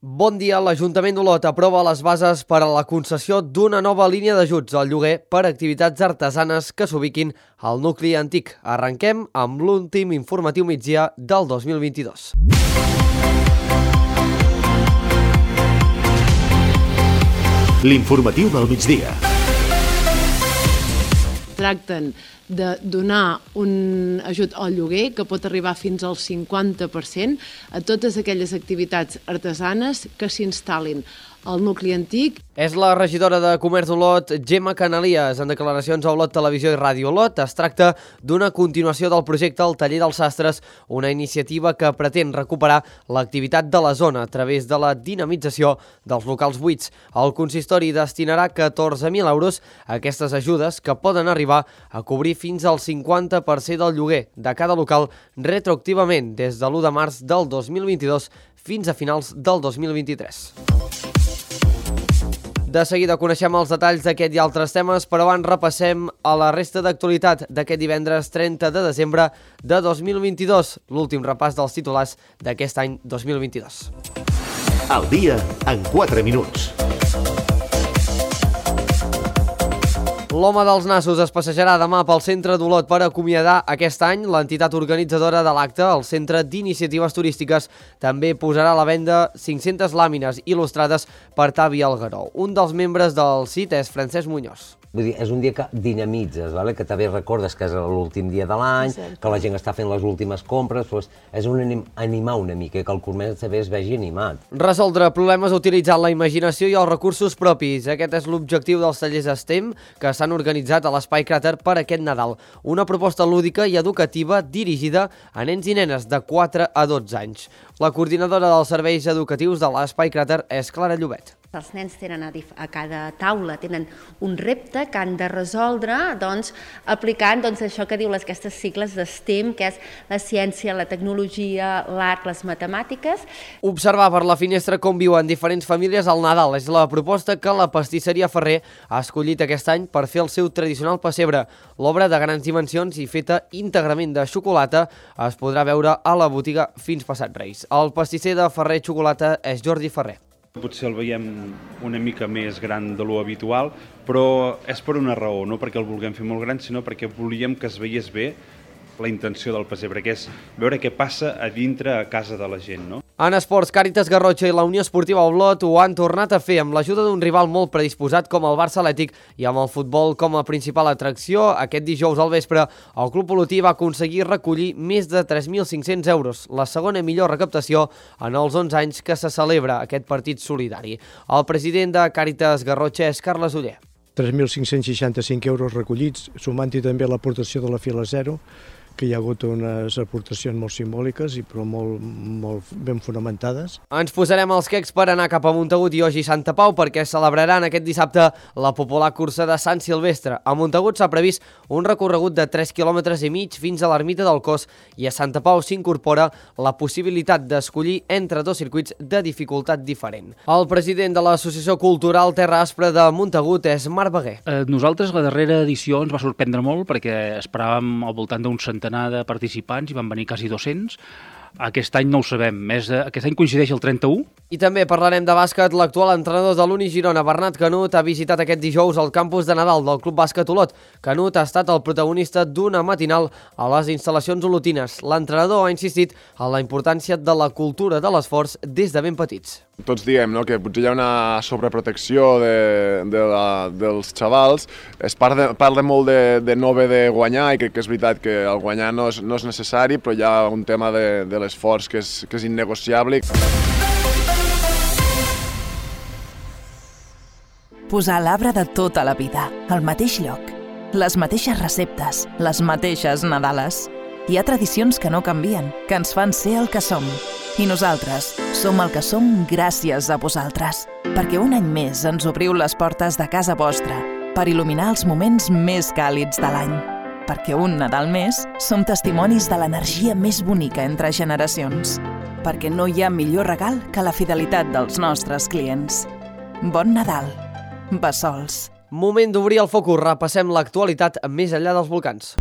Bon dia. L'Ajuntament d'Olot aprova les bases per a la concessió d'una nova línia d'ajuts al lloguer per a activitats artesanes que s'ubiquin al nucli antic. Arrenquem amb l'últim informatiu migdia del 2022. L'informatiu del migdia. Tracten de donar un ajut al lloguer que pot arribar fins al 50% a totes aquelles activitats artesanes que s'instal·lin al nucli antic. És la regidora de Comerç d'Olot, Gemma Canalies, en declaracions a Olot Televisió i Ràdio Olot. Es tracta d'una continuació del projecte El Taller dels Sastres, una iniciativa que pretén recuperar l'activitat de la zona a través de la dinamització dels locals buits. El consistori destinarà 14.000 euros a aquestes ajudes que poden arribar a cobrir fins al 50% del lloguer de cada local retroactivament des de l'1 de març del 2022 fins a finals del 2023. De seguida coneixem els detalls d'aquest i altres temes, però abans repassem a la resta d'actualitat d'aquest divendres 30 de desembre de 2022, l'últim repàs dels titulars d'aquest any 2022. Al dia en 4 minuts. L'Home dels Nassos es passejarà demà pel centre d'Olot per acomiadar aquest any. L'entitat organitzadora de l'acte, el Centre d'Iniciatives Turístiques, també posarà a la venda 500 làmines il·lustrades per Tavi Algueró. Un dels membres del CIT és Francesc Muñoz. Vull dir, és un dia que dinamitzes, que també recordes que és l'últim dia de l'any, que la gent està fent les últimes compres, doncs és animar una mica, que el comerç també es vegi animat. Resoldre problemes utilitzant la imaginació i els recursos propis. Aquest és l'objectiu dels tallers STEM que s'han organitzat a l'Espai Cràter per aquest Nadal. Una proposta lúdica i educativa dirigida a nens i nenes de 4 a 12 anys. La coordinadora dels serveis educatius de l'Espai Cràter és Clara Llobet. Els nens tenen a cada taula tenen un repte que han de resoldre aplicant això que diu aquestes sigles de STEM, que és la ciència, la tecnologia, l'art, les matemàtiques. Observar per la finestra com viuen diferents famílies al Nadal és la proposta que la pastisseria Ferrer ha escollit aquest any per fer el seu tradicional pessebre. L'obra de grans dimensions i feta íntegrament de xocolata es podrà veure a la botiga fins passat Reis. El pastisser de Ferrer Xocolata és Jordi Ferrer. Potser el veiem una mica més gran de lo habitual, però és per una raó, no perquè el vulguem fer molt gran, sinó perquè volíem que es veiés bé la intenció del pessebre, que és veure què passa a dintre a casa de la gent, no? En esports, Càritas Garrotxa i la Unió Esportiva Olot ho han tornat a fer amb l'ajuda d'un rival molt predisposat com el Barça Atlètic i amb el futbol com a principal atracció. Aquest dijous al vespre, el club olotí va aconseguir recollir més de 3.500 euros, la segona millor recaptació en els 11 anys que se celebra aquest partit solidari. El president de Càritas Garrotxa és Carles Oller. 3.565 euros recollits, sumant-hi també l'aportació de la Fila Zero, que hi ha hagut unes aportacions molt simbòliques i però molt ben fonamentades. Ens posarem els quecs per anar cap a Montagut i Oix i Santa Pau perquè celebraran aquest dissabte la popular cursa de Sant Silvestre. A Montagut s'ha previst un recorregut de 3,5 quilòmetres fins a l'ermita del Cos i a Santa Pau s'incorpora la possibilitat d'escollir entre dos circuits de dificultat diferent. El president de l'Associació Cultural Terra Aspra de Montagut és Marc Beguer. Nosaltres la darrera edició ens va sorprendre molt perquè esperàvem al voltant d'un centenar de participants i van venir quasi 200. Aquest any no ho sabem, aquest any coincideix el 31. I també parlarem de bàsquet. L'actual entrenador de l'Uni Girona, Bernat Canut, ha visitat aquest dijous el campus de Nadal del Club Bàsquet Olot. Canut ha estat el protagonista d'una matinal a les instal·lacions olotines. L'entrenador ha insistit en la importància de la cultura de l'esforç des de ben petits. Tots diem que potser hi ha una sobreprotecció dels xavals. Es parla molt de no haver de guanyar i crec que és veritat que el guanyar no és necessari, però hi ha un tema de l'esforç que és innegociable. Posar l'arbre de tota la vida, al mateix lloc, les mateixes receptes, les mateixes Nadales. Hi ha tradicions que no canvien, que ens fan ser el que som. I nosaltres som el que som gràcies a vosaltres, perquè un any més ens obriu les portes de casa vostra per il·luminar els moments més càlids de l'any. Perquè un Nadal més som testimonis de l'energia més bonica entre generacions. Perquè no hi ha millor regal que la fidelitat dels nostres clients. Bon Nadal. Bessols. Moment d'obrir el focus. Repassem l'actualitat més enllà dels volcans.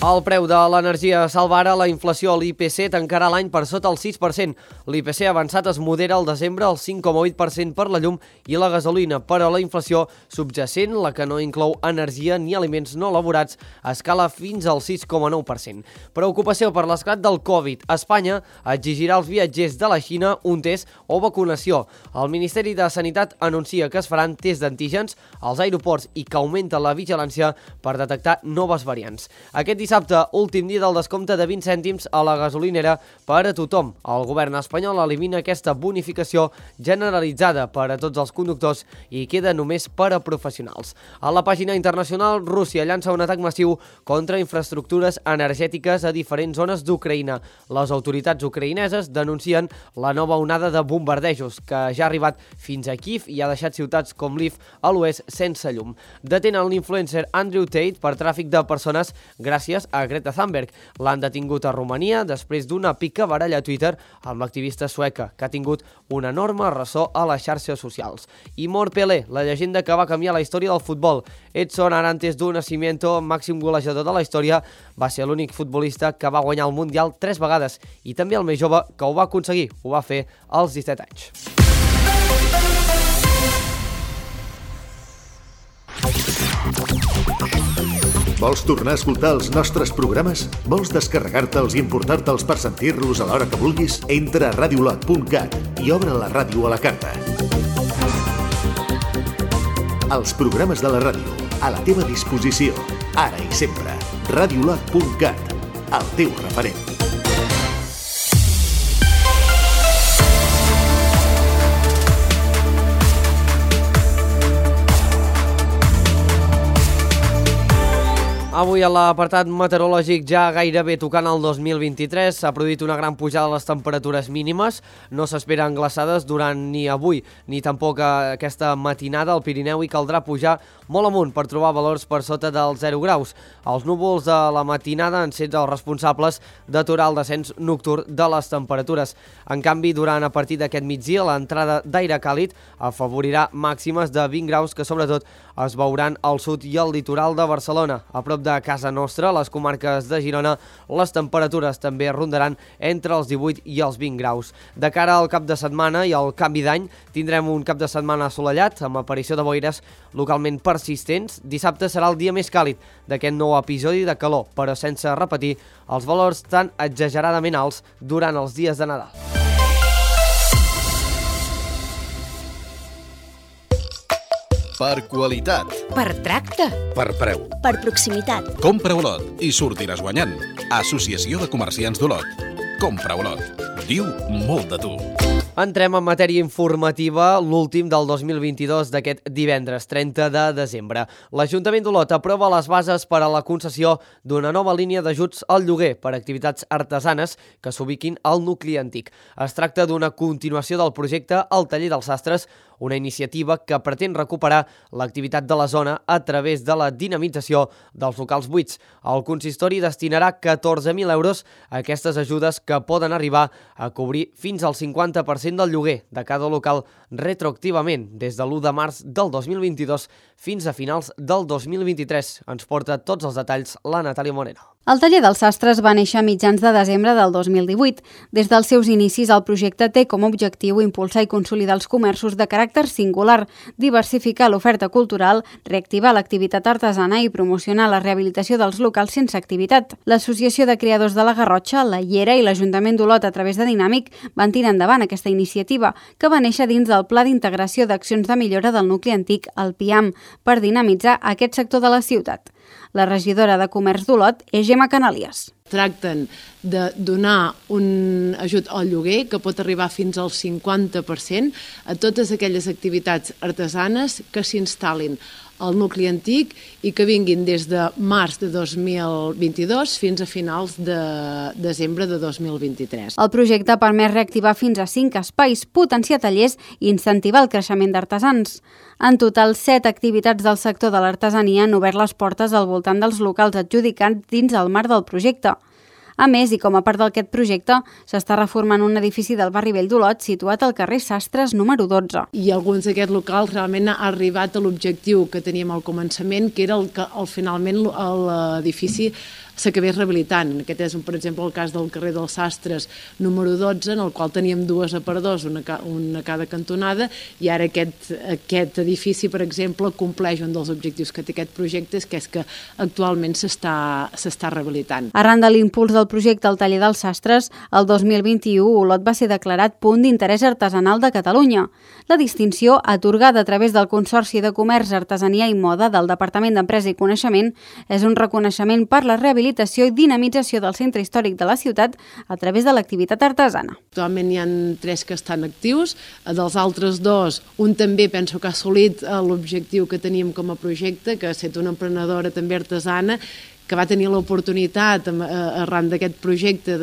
El preu de l'energia salva ara la inflació. L'IPC tancarà l'any per sota el 6%. L'IPC avançat es modera al desembre al 5,8% per la llum i la gasolina, però la inflació subjacent, la que no inclou energia ni aliments no elaborats, escala fins al 6,9%. Preocupació per l'esclat del Covid. Espanya exigirà als viatgers de la Xina un test o vacunació. El Ministeri de Sanitat anuncia que es faran tests d'antígens als aeroports i que augmenta la vigilància per detectar noves variants. Aquest dissabte, últim dia del descompte de 20 cèntims a la gasolinera per a tothom. El govern espanyol elimina aquesta bonificació generalitzada per a tots els conductors i queda només per a professionals. A la pàgina internacional, Rússia llança un atac massiu contra infraestructures energètiques a diferents zones d'Ucraïna. Les autoritats ucraïneses denuncien la nova onada de bombardejos que ja ha arribat fins a Kiev i ha deixat ciutats com Lviv a l'oest sense llum. Detenen l'influencer Andrew Tate per tràfic de persones gràcies a Greta Thunberg. L'han detingut a Romania després d'una picabaralla a Twitter amb l'activista sueca, que ha tingut un enorme ressò a les xarxes socials. I mor Pelé, la llegenda que va canviar la història del futbol. Edson Arantes do Nascimento, màxim golejador de la història, va ser l'únic futbolista que va guanyar el Mundial 3 vegades i també el més jove que ho va aconseguir. Ho va fer als 17 anys. Vols tornar a escoltar els nostres programes? Vols descarregar-te'ls i importar-te'ls per sentir-los a l'hora que vulguis? Entra a radiolot.cat i obre la ràdio a la carta. Els programes de la ràdio, a la teva disposició, ara i sempre. Radiolot.cat, el teu referent. Avui a l'apartat meteorològic ja gairebé tocant el 2023 s'ha produït una gran pujada de les temperatures mínimes. No s'esperen glaçades durant ni avui ni tampoc aquesta matinada al Pirineu i caldrà pujar molt amunt per trobar valors per sota dels 0 graus. Els núvols de la matinada han set els responsables d'aturar el descens nocturn de les temperatures. En canvi, durant a partir d'aquest migdia, l'entrada d'aire càlid afavorirà màximes de 20 graus que sobretot es veuran al sud i al litoral de Barcelona. A prop de casa nostra, a les comarques de Girona, les temperatures també rondaran entre els 18 i els 20 graus. De cara al cap de setmana i al canvi d'any, tindrem un cap de setmana assolellat, amb aparició de boires localment persistents. Dissabte serà el dia més càlid d'aquest nou episodi de calor, però sense repetir els valors tan exageradament alts durant els dies de Nadal. Per qualitat. Per tracte. Per preu. Per proximitat. Compra Olot i sortiràs guanyant. Associació de Comerciants d'Olot. Compra Olot. Diu molt de tu. Entrem en matèria informativa, l'últim del 2022 d'aquest divendres 30 de desembre. L'Ajuntament d'Olot aprova les bases per a la concessió d'una nova línia d'ajuts al lloguer per a activitats artesanes que s'ubiquin al nucli antic. Es tracta d'una continuació del projecte El Taller dels Sastres, una iniciativa que pretén recuperar l'activitat de la zona a través de la dinamització dels locals buits. El consistori destinarà 14.000 euros a aquestes ajudes que poden arribar a cobrir fins al 50% del lloguer de cada local retroactivament des de l'1 de març del 2022 fins a finals del 2023. Ens porta tots els detalls la Natàlia Moreno. El Taller dels Sastres va néixer a mitjans de desembre del 2018. Des dels seus inicis, el projecte té com a objectiu impulsar i consolidar els comerços de caràcter singular, diversificar l'oferta cultural, reactivar l'activitat artesana i promocionar la rehabilitació dels locals sense activitat. L'Associació de Creadors de la Garrotxa, la Llera i l'Ajuntament d'Olot a través de Dinàmic van tirar endavant aquesta iniciativa, que va néixer dins del Pla d'Integració d'Accions de Millora del Nucli Antic, el PIAM, per dinamitzar aquest sector de la ciutat. La regidora de Comerç d'Olot és Gemma Canalies. Tracten de donar un ajut al lloguer que pot arribar fins al 50% a totes aquelles activitats artesanes que s'instal·lin al nucli antic i que vinguin des de març de 2022 fins a finals de desembre de 2023. El projecte permet reactivar fins a 5 espais, potenciar tallers i incentivar el creixement d'artesans. En total, 7 activitats del sector de l'artesania han obert les portes al voltant dels locals adjudicats dins el marc del projecte. A més, i com a part d'aquest projecte, s'està reformant un edifici del barri vell d'Olot situat al carrer Sastres número 12. I alguns d'aquests locals realment ha arribat a l'objectiu que teníem al començament, que era finalment l'edifici s'acabés rehabilitant. Aquest és, per exemple, el cas del carrer dels Sastres número 12, en el qual teníem dues aparadors, una a cada cantonada, i ara aquest edifici, per exemple, compleix un dels objectius que té aquest projecte, que és que actualment s'està rehabilitant. Arran de l'impuls del projecte al taller dels Sastres, el 2021 Olot va ser declarat Punt d'Interès Artesanal de Catalunya. La distinció, atorgada a través del Consorci de Comerç, Artesania i Moda del Departament d'Empresa i Coneixement, és un reconeixement per la rehabilitació i dinamització del centre històric de la ciutat a través de l'activitat artesana. Actualment hi ha 3 que estan actius, dels altres 2, un també penso que ha assolit l'objectiu que teníem com a projecte, que ha estat una emprenedora també artesana, que va tenir l'oportunitat arran d'aquest projecte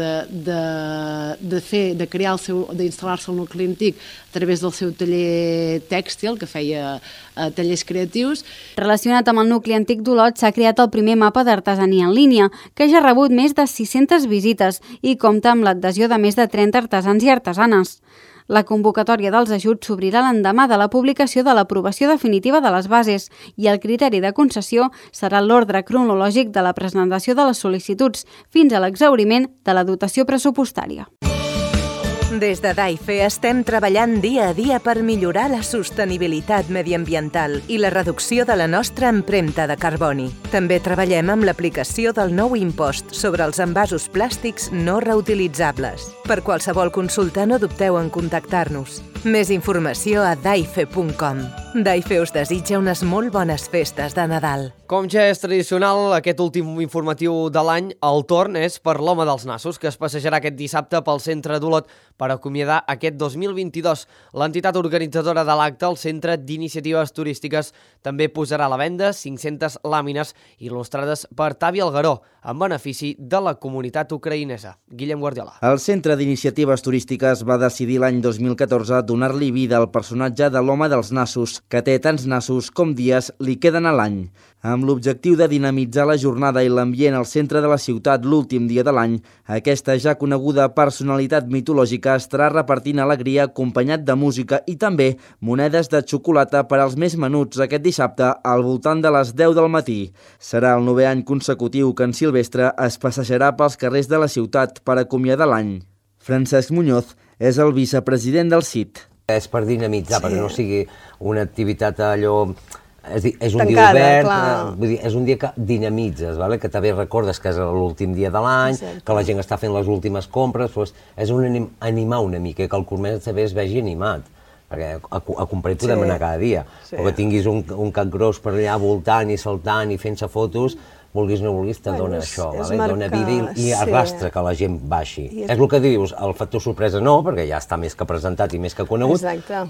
d'instal·lar-se al nucli antic a través del seu taller tèxtil, que feia tallers creatius. Relacionat amb el nucli antic d'Olot, s'ha creat el primer mapa d'artesania en línia, que ja ha rebut més de 600 visites i compta amb l'adhesió de més de 30 artesans i artesanes. La convocatòria dels ajuts s'obrirà l'endemà de la publicació de l'aprovació definitiva de les bases i el criteri de concessió serà l'ordre cronològic de la presentació de les sol·licituds fins a l'exhauriment de la dotació pressupostària. Des de DAIFE estem treballant dia a dia per millorar la sostenibilitat mediambiental i la reducció de la nostra empremta de carboni. També treballem amb l'aplicació del nou impost sobre els envasos plàstics no reutilitzables. Per qualsevol consulta no dubteu en contactar-nos. Més informació a daife.com. DAIFE us desitja unes molt bones festes de Nadal. Com ja és tradicional, aquest últim informatiu de l'any, el torn és per l'Home dels Nassos, que es passejarà aquest dissabte pel centre d'Olot per acomiadar aquest 2022. L'entitat organitzadora de l'acte, el Centre d'Iniciatives Turístiques, també posarà a la venda 500 làmines il·lustrades per Tavi Algaró, en benefici de la comunitat ucraïnesa. Guillem Guardiola. El Centre d'Iniciatives Turístiques va decidir l'any 2014 donar-li vida al personatge de l'Home dels Nassos, que té tants nassos com dies li queden a l'any. Amb l'objectiu de dinamitzar la jornada i l'ambient al centre de la ciutat l'últim dia de l'any, aquesta ja coneguda personalitat mitològica estarà repartint alegria acompanyat de música i també monedes de xocolata per als més menuts aquest dissabte al voltant de les 10 del matí. Serà el 9è any consecutiu que en Silvestre es passejarà pels carrers de la ciutat per acomiadar l'any. Francesc Muñoz és el vicepresident del CIT. És per dinamitzar, perquè no sigui una activitat allò... És un tancada, dia obert, clar. És un dia que dinamitzes, que també recordes que és l'últim dia de l'any, que la gent està fent les últimes compres, és animar una mica, que el comerç també es vegi animat, perquè a comprar t'ho demanar cada dia, o que tinguis un cap gros per allà voltant i saltant i fent-se fotos, vulguis o no vulguis, te dona això, dona vida i arrastra que la gent baixi. És el que dius, el factor sorpresa no, perquè ja està més que presentat i més que conegut,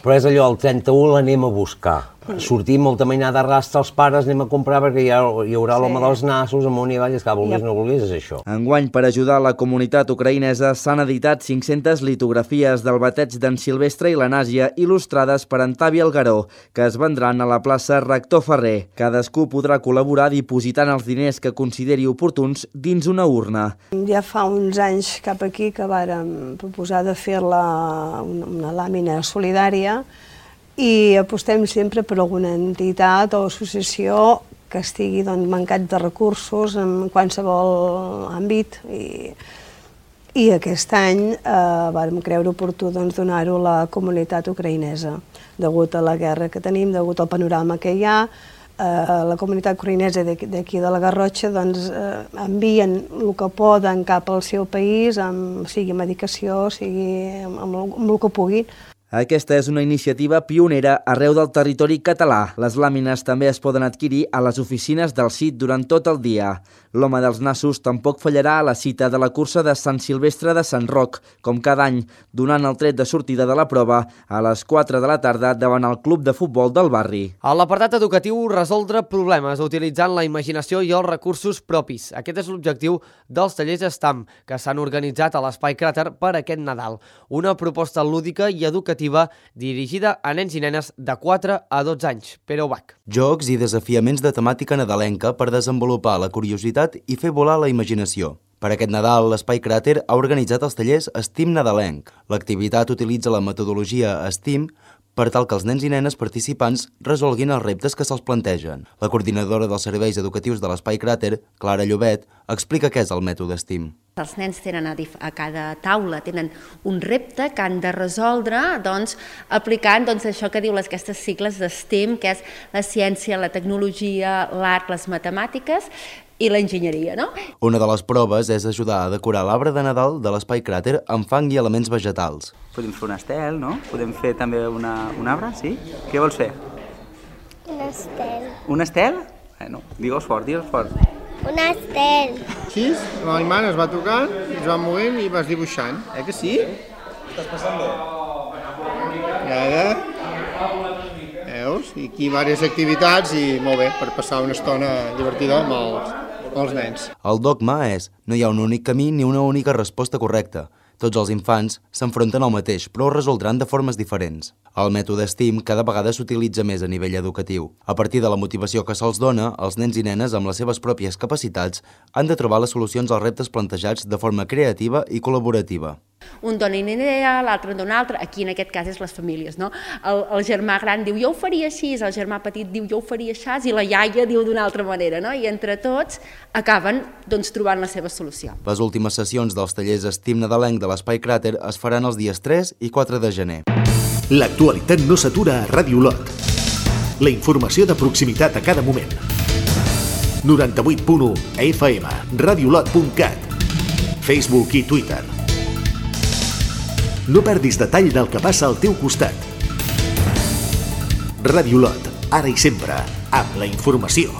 però és allò, el 31 l'anem a buscar. Sortim molta mainada arrastra els pares, anem a comprar perquè hi haurà l'Home dels Nassos, amunt i avall, és que vulguis o no vulguis, és això. Enguany, per ajudar la comunitat ucraïnesa, s'han editat 500 litografies del bateig d'en Silvestre i la Nàsia il·lustrades per en Tavi Algaró, que es vendran a la plaça Rector Ferrer. Cadascú podrà col·laborar dipositant els diners que consideri oportuns dins una urna. Ja fa uns anys cap aquí que vàrem proposar de fer una làmina solidària i apostem sempre per alguna entitat o associació que estigui mancat de recursos en qualsevol àmbit i aquest any vàrem creure oportú donar-ho a la comunitat ucraïnesa. Degut a la guerra que tenim, degut al panorama que hi ha, la comunitat ucraïnesa d'aquí de la Garrotxa envien el que poden cap al seu país, sigui medicació, sigui amb el que puguin. Aquesta és una iniciativa pionera arreu del territori català. Les làmines també es poden adquirir a les oficines del CIT durant tot el dia. L'Home dels Nassos tampoc fallarà a la cita de la cursa de Sant Silvestre de Sant Roc, com cada any, donant el tret de sortida de la prova a les 4 de la tarda davant el club de futbol del barri. A l'apartat educatiu, resoldre problemes utilitzant la imaginació i els recursos propis. Aquest és l'objectiu dels tallers STAM, que s'han organitzat a l'Espai Cràter per aquest Nadal. Una proposta lúdica i educativa dirigida a nens i nenes de 4 a 12 anys. Pere Ubach. Jocs i desafiaments de temàtica nadalenca per desenvolupar la curiositat i fer volar la imaginació. Per aquest Nadal, l'Espai Cràter ha organitzat els tallers STEAM nadalenc. L'activitat utilitza la metodologia STEAM per tal que els nens i nenes participants resolguin els reptes que se'ls plantegen. La coordinadora dels serveis educatius de l'Espai Cràter, Clara Llobet, explica què és el mètode STEAM. Els nens tenen a cada taula tenen un repte que han de resoldre aplicant això que diu aquestes sigles de STEM, que és la ciència, la tecnologia, l'art, les matemàtiques i l'enginyeria, no? Una de les proves és ajudar a decorar l'arbre de Nadal de l'Espai Cràter amb fang i elements vegetals. Podem fer un estel, no? Podem fer també un arbre, sí? Què vols fer? Un estel. Un estel? No, digues fort, digues fort. Un estel. Així, la meva mare es va tocant, es va movent i vas dibuixant. Que sí? Estàs passant bé? I ara... Veus? I aquí diverses activitats i molt bé, per passar una estona divertida amb els nens. El dogma és: no hi ha un únic camí ni una única resposta correcta. Tots els infants s'enfronten al mateix, però ho resoldran de formes diferents. El mètode STEAM cada vegada s'utilitza més a nivell educatiu. A partir de la motivació que se'ls dona, els nens i nenes amb les seves pròpies capacitats han de trobar les solucions als reptes plantejats de forma creativa i col·laborativa. Un dona una idea, l'altre en dona una altra, aquí en aquest cas és les famílies, no? El germà gran diu jo ho faria així, el germà petit diu jo ho faria així i la iaia diu d'una altra manera, no? I entre tots acaben trobant la seva solució. Les últimes sessions dels tallers STEAM nadalenc de l'Espai Cràter es faran els dies 3 i 4 de gener. L'actualitat no s'atura a Ràdio Olot. La informació de proximitat a cada moment. 98.1 FM, radiolot.cat, Facebook i Twitter. No perdis detall del que passa al teu costat. Ràdio Olot, ara i sempre, amb la informació.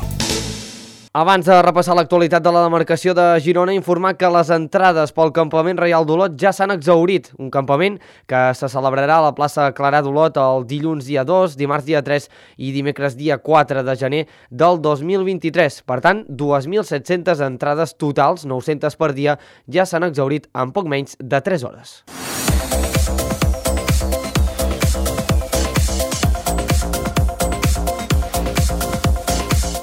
Abans de repassar l'actualitat de la demarcació de Girona, informar que les entrades pel Campament Reial d'Olot ja s'han exhaurit. Un campament que se celebrarà a la plaça Clarà d'Olot el dilluns dia 2, dimarts dia 3 i dimecres dia 4 de gener del 2023. Per tant, 2.700 entrades totals, 900 per dia, ja s'han exhaurit en poc menys de 3 hores.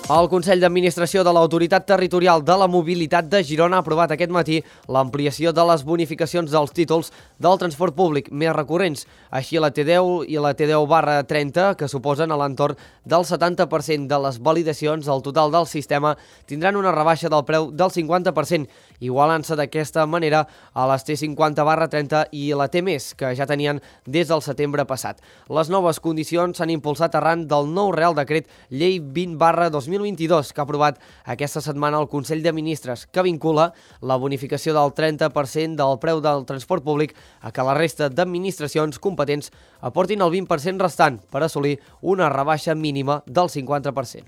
El Consell d'Administració de l'Autoritat Territorial de la Mobilitat de Girona ha aprovat aquest matí l'ampliació de les bonificacions dels títols del transport públic més recurrents. Així, la T10 i la T10/30, que suposen a l'entorn del 70% de les validacions al total del sistema, tindran una rebaixa del preu del 50%, igualant-se d'aquesta manera a les T50/30 i la T+, que ja tenien des del setembre passat. Les noves condicions s'han impulsat arran del nou Real Decret Llei 20/2022, que ha aprovat aquesta setmana el Consell de Ministres, que vincula la bonificació del 30% del preu del transport públic a que la resta d'administracions competents aportin el 20% restant per assolir una rebaixa mínima del 50%.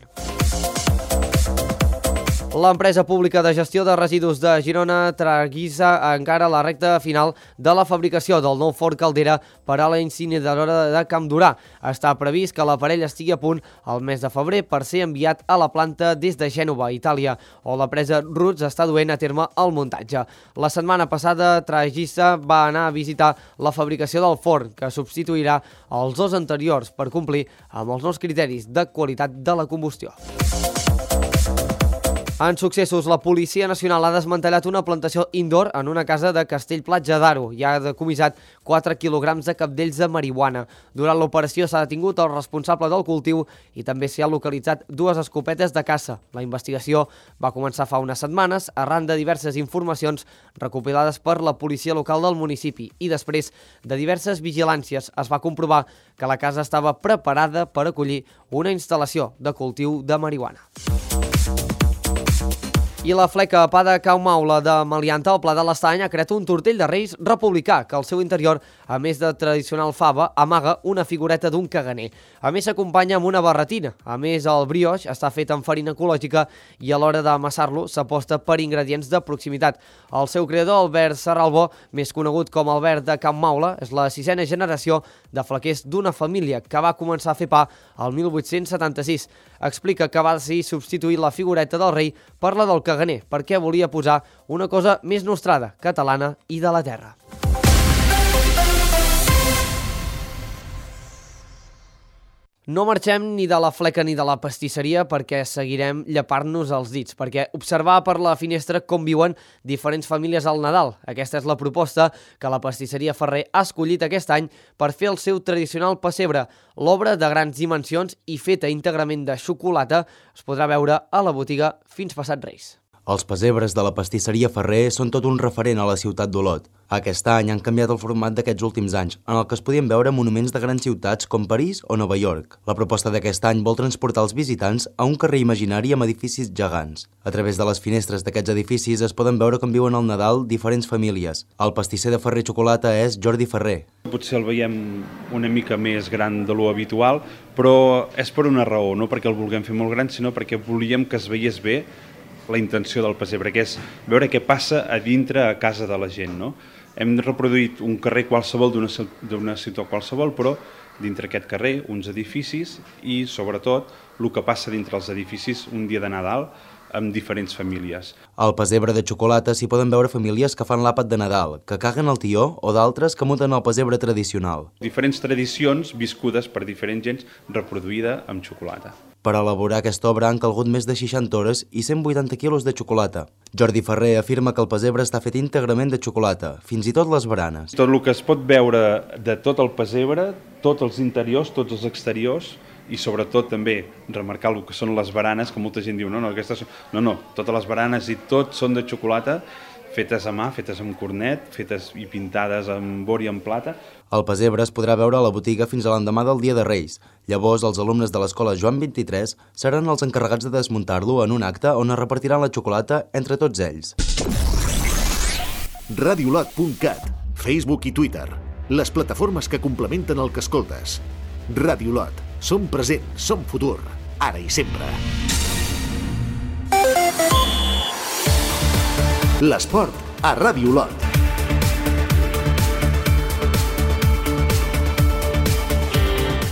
L'empresa pública de gestió de residus de Girona traguissa encara la recta final de la fabricació del nou forn caldera per a la incineradora de Campdorà. Està previst que l'aparell estigui a punt el mes de febrer per ser enviat a la planta des de Gènova, Itàlia, on la presa Roots està duent a terme el muntatge. La setmana passada, Tragissa va anar a visitar la fabricació del forn, que substituirà els dos anteriors per complir amb els nous criteris de qualitat de la combustió. En successos, la Policia Nacional ha desmantellat una plantació indoor en una casa de Castellplatja d'Aro i ha decomissat 4 quilograms de capdells de marihuana. Durant l'operació s'ha detingut el responsable del cultiu i també s'hi ha localitzat 2 escopetes de caça. La investigació va començar fa unes setmanes arran de diverses informacions recopilades per la policia local del municipi i després de diverses vigilàncies es va comprovar que la casa estava preparada per acollir una instal·lació de cultiu de marihuana. I la fleca Pa de Cau Maula de Malianta, al Pla de l'Estany, ha creat un tortell de Reis republicà que al seu interior, a més de tradicional fava, amaga una figureta d'un caganer. A més, s'acompanya amb una barretina. A més, el brioix està fet amb farina ecològica i a l'hora d'amassar-lo s'aposta per ingredients de proximitat. El seu creador, Albert Serralbó, més conegut com Albert de Can Maula, és la 6a generació de flequers d'una família que va començar a fer pa el 1876. Explica que va decidir substituir la figureta del rei per la del caganer, perquè volia posar una cosa més nostrada, catalana i de la terra. No marxem ni de la fleca ni de la pastisseria perquè seguirem llepant-nos els dits, perquè observar per la finestra com viuen diferents famílies al Nadal. Aquesta és la proposta que la pastisseria Ferrer ha escollit aquest any per fer el seu tradicional pessebre. L'obra de grans dimensions i feta íntegrament de xocolata es podrà veure a la botiga fins passat Reis. Els pessebres de la pastisseria Ferrer són tot un referent a la ciutat d'Olot. Aquest any han canviat el format d'aquests últims anys, en el que es podien veure monuments de grans ciutats com París o Nova York. La proposta d'aquest any vol transportar els visitants a un carrer imaginari amb edificis gegants. A través de les finestres d'aquests edificis es poden veure com viuen al Nadal diferents famílies. El pastisser de Ferrer Xocolata és Jordi Ferrer. Potser el veiem una mica més gran de lo habitual, però és per una raó, no perquè el vulguem fer molt gran, sinó perquè volíem que es veiés bé la intenció del pessebre, que és veure què passa a dintre a casa de la gent, no? Hem reproduït un carrer qualsevol d'una ciutat qualsevol, però dintre aquest carrer uns edificis i, sobretot, el que passa dintre els edificis un dia de Nadal amb diferents famílies. Al pessebre de xocolata s'hi poden veure famílies que fan l'àpat de Nadal, que caguen el tió o d'altres que muten el pessebre tradicional. Diferents tradicions viscudes per diferents gens reproduïda amb xocolata. Per elaborar aquesta obra han calgut més de 60 hores i 180 quilos de xocolata. Jordi Ferrer afirma que el pessebre està fet íntegrament de xocolata, fins i tot les baranes. Tot el que es pot veure de tot el pessebre, tots els interiors, tots els exteriors, i sobretot també remarcar el que són les baranes, que molta gent diu no, totes les baranes i tot són de xocolata, fetes a mà, fetes amb cornet, fetes i pintades amb or i amb plata. El pessebre es podrà veure a la botiga fins a l'endemà del Dia de Reis. Llavors, els alumnes de l'escola Joan 23 seran els encarregats de desmuntar-lo en un acte on es repartiran la xocolata entre tots ells. Radiolot.cat, Facebook i Twitter, les plataformes que complementen el que escoltes. Radiolot, som present, som futur, ara i sempre. L'esport a Radiolot.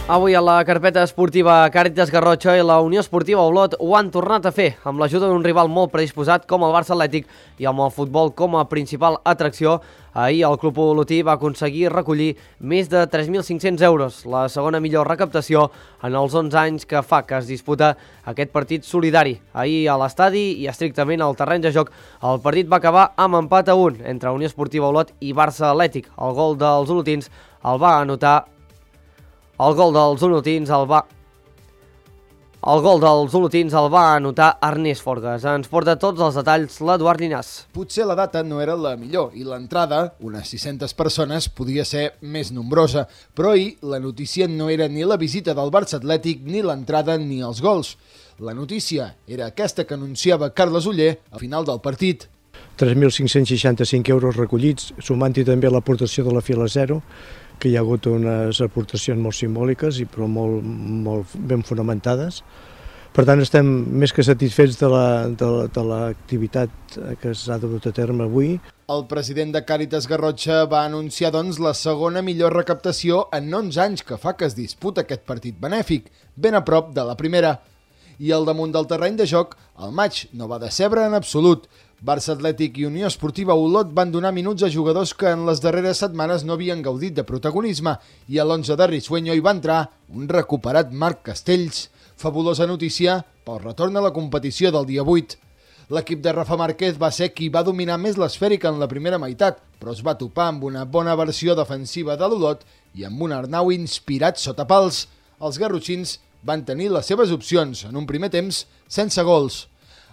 Avui a la carpeta esportiva Càritas Garrotxa i la Unió Esportiva Olot ho han tornat a fer, amb l'ajuda d'un rival molt predisposat com el Barça Atlètic i amb el futbol com a principal atracció. Ahir el club olotí va aconseguir recollir més de 3.500 euros, la segona millor recaptació en els 11 anys que fa que es disputa aquest partit solidari. Ahir a l'estadi i estrictament al terreny de joc, el partit va acabar amb empat a 1 entre Unió Esportiva Olot i Barça Atlètic. El gol dels olotins el va anotar Ernest Forgas. Ens porta tots els detalls l'Eduard Llinàs. Potser la data no era la millor i l'entrada, unes 600 persones, podia ser més nombrosa, però ahir la notícia no era ni la visita del Barça Atlètic, ni l'entrada ni els gols. La notícia era aquesta que anunciava Carles Oller al final del partit. 3.565 euros recollits, sumant-hi també l'aportació de la Fila Zero, que hi ha hagut unes aportacions molt simbòliques i però molt ben fonamentades. Per tant, estem més que satisfets de l'activitat que s'ha dut a terme avui. El president de Càritas Garrotxa va anunciar, doncs, la segona millor recaptació en 11 anys que fa que es disputa aquest partit benèfic, ben a prop de la primera. I al damunt del terreny de joc, el maig no va decebre en absolut. Barça Atlètic i Unió Esportiva Olot van donar minuts a jugadors que en les darreres setmanes no havien gaudit de protagonisme i a l'11 de Risueño hi va entrar un recuperat Marc Castells. Fabulosa notícia pel retorn a la competició del dia 8. L'equip de Rafa Márquez va ser qui va dominar més l'esfèrica en la primera meitat, però es va topar amb una bona versió defensiva de l'Olot i amb un Arnau inspirat sota pals. Els garrotxins van tenir les seves opcions en un primer temps sense gols.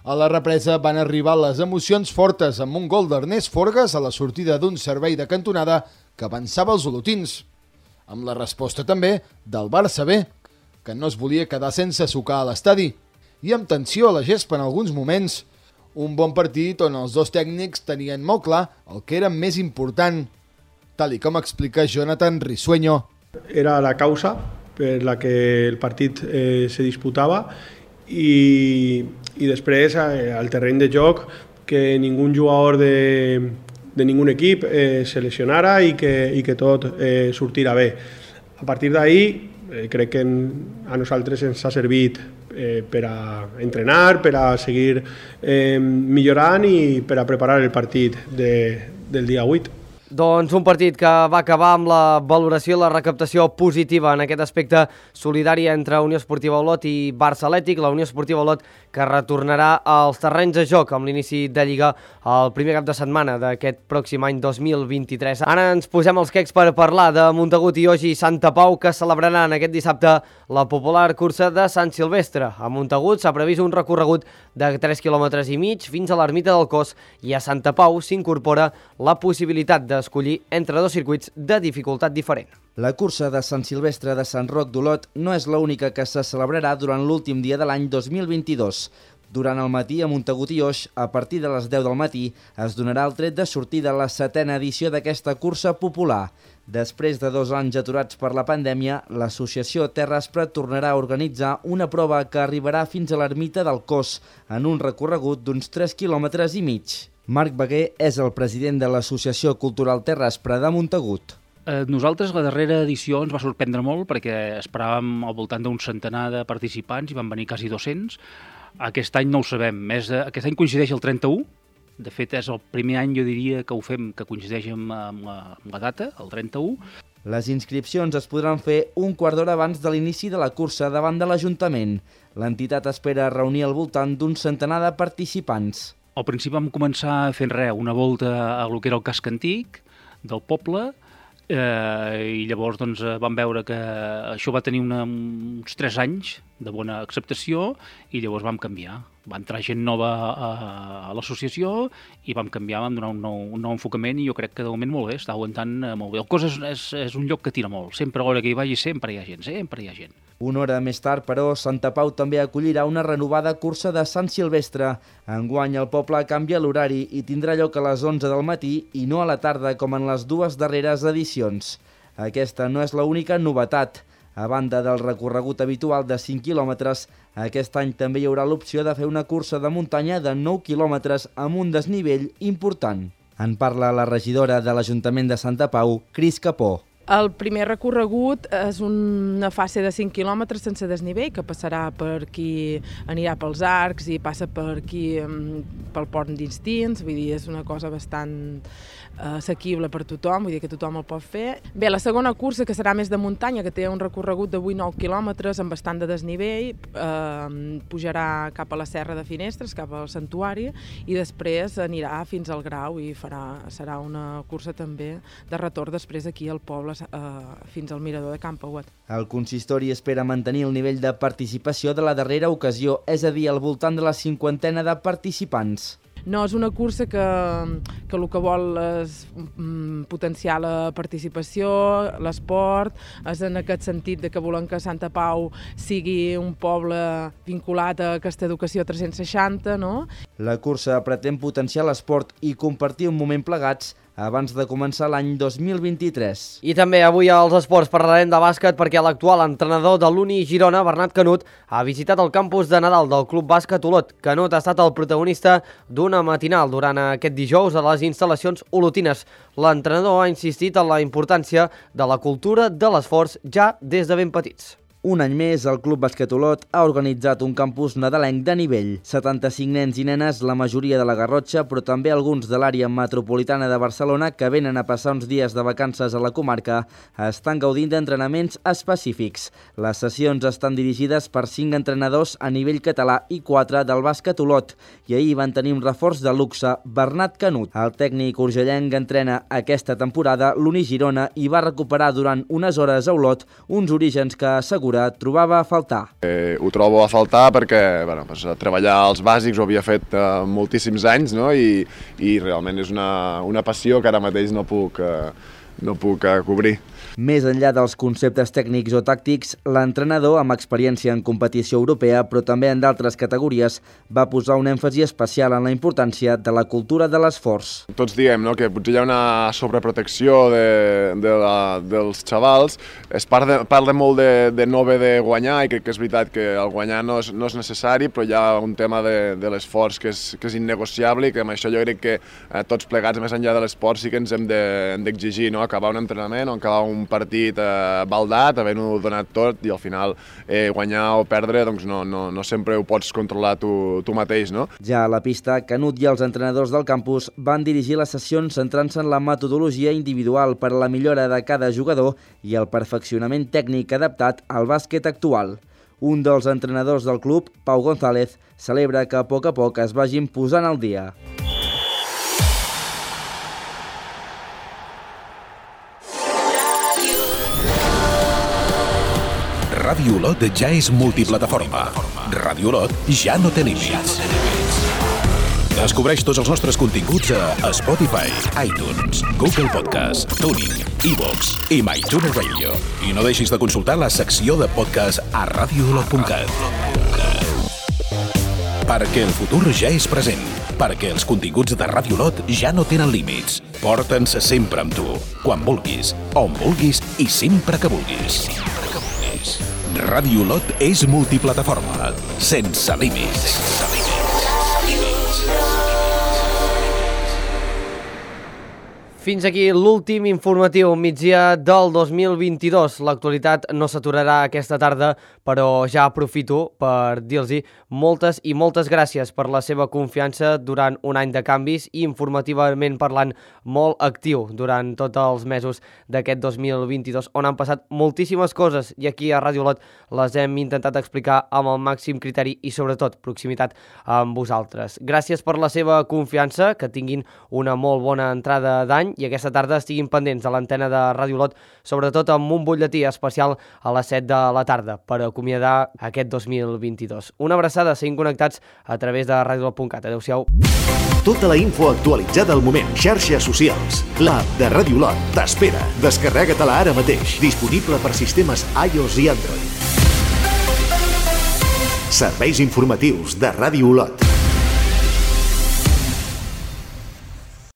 A la represa van arribar les emocions fortes amb un gol d'Ernest Forgas a la sortida d'un servei de cantonada que avançava els olotins. Amb la resposta també del Barça B, que no es volia quedar sense sucar a l'estadi. I amb tensió a la gespa en alguns moments. Un bon partit on els dos tècnics tenien molt clar el que era més important, tal i com explica Jonathan Risueño. Era la causa per la que el partit se disputava i després al terreny de joc que ningú jugador de ningú equip se lesionara i que tot sortirà bé. A partir d'ahir crec que a nosaltres ens ha servit per a entrenar, per a seguir millorant i per a preparar el partit del dia 8. Doncs un partit que va acabar amb la valoració i la recaptació positiva en aquest aspecte solidari entre Unió Esportiva Olot i Barça Atlètic. La Unió Esportiva Olot que retornarà als terrenys de joc amb l'inici de Lliga el primer cap de setmana d'aquest pròxim any 2023. Ara ens posem els quecs per parlar de Montagut i Oix i Santa Pau, que celebraran aquest dissabte la popular cursa de Sant Silvestre. A Montagut s'ha previst un recorregut de 3,5 quilòmetres fins a l'ermita del Cos, i a Santa Pau s'incorpora la possibilitat d'escollir entre dos circuits de dificultat diferent. La cursa de Sant Silvestre de Sant Roc d'Olot no és l'única que se celebrarà durant l'últim dia de l'any 2022. Durant el matí a Montagut i Oix, a partir de les 10 del matí, es donarà el tret de sortida a la 7a edició d'aquesta cursa popular. Després de 2 anys aturats per la pandèmia, l'associació Terraspre tornarà a organitzar una prova que arribarà fins a l'ermita del Cos, en un recorregut d'uns 3,5 quilòmetres. Marc Beguer és el president de l'Associació Cultural Terraspre de Montagut. Nosaltres la darrera edició ens va sorprendre molt perquè esperàvem al voltant d'un centenar de participants i van venir quasi 200. Aquest any no ho sabem, aquest any coincideix el 31, de fet és el primer any, jo diria, que ho fem, que coincideix amb la data, el 31. Les inscripcions es podran fer un quart d'hora abans de l'inici de la cursa davant de l'Ajuntament. L'entitat espera reunir al voltant d'un centenar de participants. Al principi vam començar fent una volta a lo que era el casc antic del poble, i llavors vam veure que això va tenir uns 3 anys de bona acceptació i llavors vam canviar. Va entrar gent nova a l'associació i vam canviar, vam donar un nou enfocament, i jo crec que de moment molt bé, està aguantant molt bé. El Cos és un lloc que tira molt, sempre a l'hora que hi vagi sempre hi ha gent, Una hora més tard, però, Santa Pau també acollirà una renovada cursa de Sant Silvestre. Enguany el poble canvia l'horari i tindrà lloc a les 11 del matí i no a la tarda com en les 2 darreres edicions. Aquesta no és l'única novetat. A banda del recorregut habitual de 5 quilòmetres, aquest any també hi haurà l'opció de fer una cursa de muntanya de 9 quilòmetres amb un desnivell important. En parla la regidora de l'Ajuntament de Santa Pau, Cris Capó. El primer recorregut és una fase de 5 quilòmetres sense desnivell, que passarà per qui anirà pels arcs i passa per aquí pel pont d'Instins, vull dir, és una cosa bastant assequible per tothom, vull dir que tothom el pot fer. Bé, la segona cursa, que serà més de muntanya, que té un recorregut de 8-9 quilòmetres amb bastant de desnivell, pujarà cap a la Serra de Finestres, cap al Santuari, i després anirà fins al Grau i serà una cursa també de retorn després aquí al poble fins al mirador de Camp Pauet. El consistori espera mantenir el nivell de participació de la darrera ocasió, és a dir, al voltant de la 50ena de participants. No, és una cursa que el que vol és potenciar la participació, l'esport, és en aquest sentit que volem que Santa Pau sigui un poble vinculat a aquesta educació 360, no? La cursa pretén potenciar l'esport i compartir un moment plegats abans de començar l'any 2023. I també avui als esports parlarem de bàsquet perquè l'actual entrenador de l'Uni Girona, Bernat Canut, ha visitat el campus de Nadal del Club Bàsquet Olot. Canut ha estat el protagonista d'una matinal durant aquest dijous a les instal·lacions olotines. L'entrenador ha insistit en la importància de la cultura de l'esforç ja des de ben petits. Un any més, el Club Bàsquet Olot ha organitzat un campus nadalenc de nivell. 75 nens i nenes, la majoria de la Garrotxa, però també alguns de l'àrea metropolitana de Barcelona que venen a passar uns dies de vacances a la comarca, estan gaudint d'entrenaments específics. Les sessions estan dirigides per 5 entrenadors a nivell català i 4 del Bàsquet Olot. I ahir van tenir un reforç de luxe, Bernat Canut. El tècnic urgellenc entrena aquesta temporada l'Uni Girona i va recuperar durant unes hores a Olot uns orígens que assegura trobava a faltar. Ho trobo a faltar perquè treballar als bàsics ho havia fet moltíssims anys, no? I realment és una passió que ara mateix no puc cobrir. Més enllà dels conceptes tècnics o tàctics, l'entrenador, amb experiència en competició europea, però també en d'altres categories, va posar un èmfasi especial en la importància de la cultura de l'esforç. Tots diem que potser hi ha una sobreprotecció dels xavals, es parla molt de no haver de guanyar i crec que és veritat que el guanyar no és necessari, però hi ha un tema de l'esforç que és innegociable i que amb això jo crec que tots plegats, més enllà de l'esport, sí que ens hem d'exigir, no? acabar un entrenament o acabar un partit baldat, havent-ho donat tot i al final guanyar o perdre doncs no sempre ho pots controlar tu mateix, no? Ja a la pista, Canut i els entrenadors del campus van dirigir les sessions centrant-se en la metodologia individual per a la millora de cada jugador i el perfeccionament tècnic adaptat al bàsquet actual. Un dels entrenadors del club, Pau González, celebra que a poc es vagin posant al dia. Ràdio Olot ja és multiplataforma. Ràdio Olot ja no té límits. Descobreix tots els nostres continguts a Spotify, iTunes, Google Podcast, TuneIn, iVoox i MyTuner Radio. I no deixis de consultar la secció de podcast a radioolot.cat. Perquè el futur ja és present. Perquè els continguts de Ràdio Olot ja no tenen límits. Porta'ns sempre amb tu, quan vulguis, on vulguis i sempre que vulguis. Ràdio Olot és multiplataforma, sense límits. Fins aquí l'últim informatiu migdia del 2022. L'actualitat no s'aturarà aquesta tarda, però ja aprofito per dir-los moltes i moltes gràcies per la seva confiança durant un any de canvis i informativament parlant molt actiu durant tots els mesos d'aquest 2022, on han passat moltíssimes coses i aquí a Ràdio Olot les hem intentat explicar amb el màxim criteri i sobretot proximitat amb vosaltres. Gràcies per la seva confiança, que tinguin una molt bona entrada d'any i aquesta tarda estiguin pendents de l'antena de Ràdio Olot, sobretot amb un butlletí especial a les 7 de la tarda per acomiadar aquest 2022. Una abraçada, seguim connectats a través de radioolot.cat. Adéu-siau. Tota la info actualitzada al moment. Xarxes socials. L'app de Ràdio Olot t'espera. Descarrega-te-la ara mateix. Disponible per sistemes iOS i Android. Serveis informatius de Ràdio Olot.